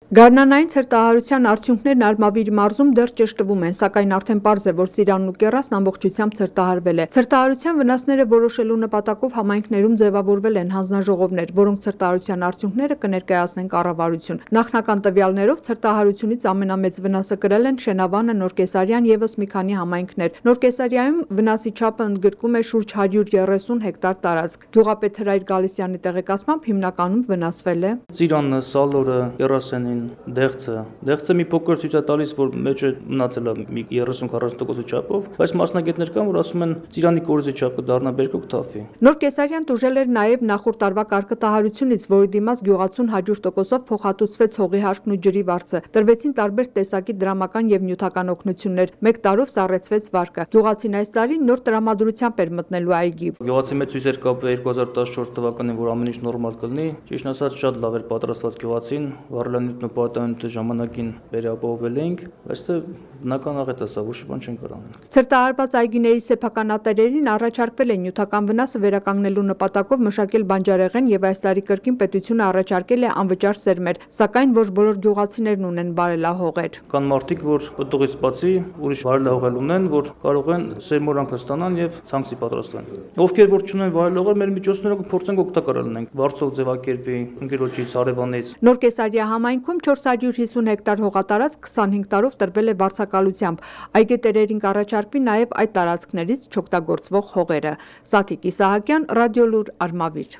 Գարնանային ցրտահարության արդյունքներն Արմավիր մարզում դեռ ճշտվում են, սակայն արդեն պարզ է, որ Ծիրանն ու Կեռասն ամբողջությամբ ցրտահարվել է։ Ցրտահարության վնասները որոշելու նպատակով համայնքներում ձևավորվել են հանձնաժողովներ, որոնք ցրտահարության արդյունքները կներկայացնեն կառավարություն։ Նախնական տվյալներով ցրտահարությունից ամենամեծ վնասը կրել են Շենավանը, Նորկեսարյան ևս մի քանի համայնքներ։ Նորկեսարիայում վնասի չափը ընդգրկում է շուրջ 130 հեկտար տարածք։ Գյուղապետ Հրայր Գալստյանի տեղեկացմամբ հիմնականում վնասվել է Ծիրանը, Սալորը, Կեռասենին, Դեղցը մի փոքր ցույց է տալիս, որ մեջը մնացել է մի 30-40% չափով, բայց մասնագետներ կան, որ ասում են Ծիրանի կորիզի չափը դառնա բերկոք թափի։ Նորկեսարյան տուժել էր նաև նախորդ տարվա կարկտահարությունից, որի դիմաց գյուղացուն 100%-ով փոխհատուցվեց հողի հարկն ու ջրի վարձը։ Տրվեցին տարբեր տեսակի դրամական եւ նյութական օգնություններ։ Մեկ տարով սառեցվեց վարկը։ Գյուղացին այս տարի նոր տրամադրությամբ էր մտնելու այգի։ Գյուղացի մեծ հույսեր կապել 2014 թվականին, որ ամեն ինչ նորմալ կլինի։ Ճիշտն ասած, շատ լավ էր պատրաստված գյուղացին, վարելանյութն ու պարտանյութը ժամանակին վերապահովել էինք, բայց բնական աղետ է սա, ոչ բան չեն կարող անել։ Ցրտահարված այգիների սեփականատերերին առաջարկվել է նյութական վնասը վերականգնելու նպատակով մշակել բանջարեղեն եւ այս տարի կրկին պետությունը առաջարկել է անվճար սերմեր, սակայն ոչ բոլոր գյուղացիներն ունեն բարելահողեր։ Կան մարդիկ, որ պտուղից բացի ուրիշ բարելահողեր ունեն, որ կարող են սերմորանքը ստանան եւ ցանքսի պատրաստեն։ Ովքեր որ չունեն բարելահողեր, մեր միջոցներով կփորձենք օգտակար լինենք։ Վարձով ձևակերպի, ընկերոջից, հարևանից։ Նորկեսարիա համայնքում 450 հեկտար հողատարածք 25 տարով տրվել է վարձակալությամբ։ Այգետերերին կառաջարկվի նաև այդ տարածքներից չօգտագործվող հողերը։ Սաթիկ Իսահակյան, Ռադիոլուր, Արմավիր։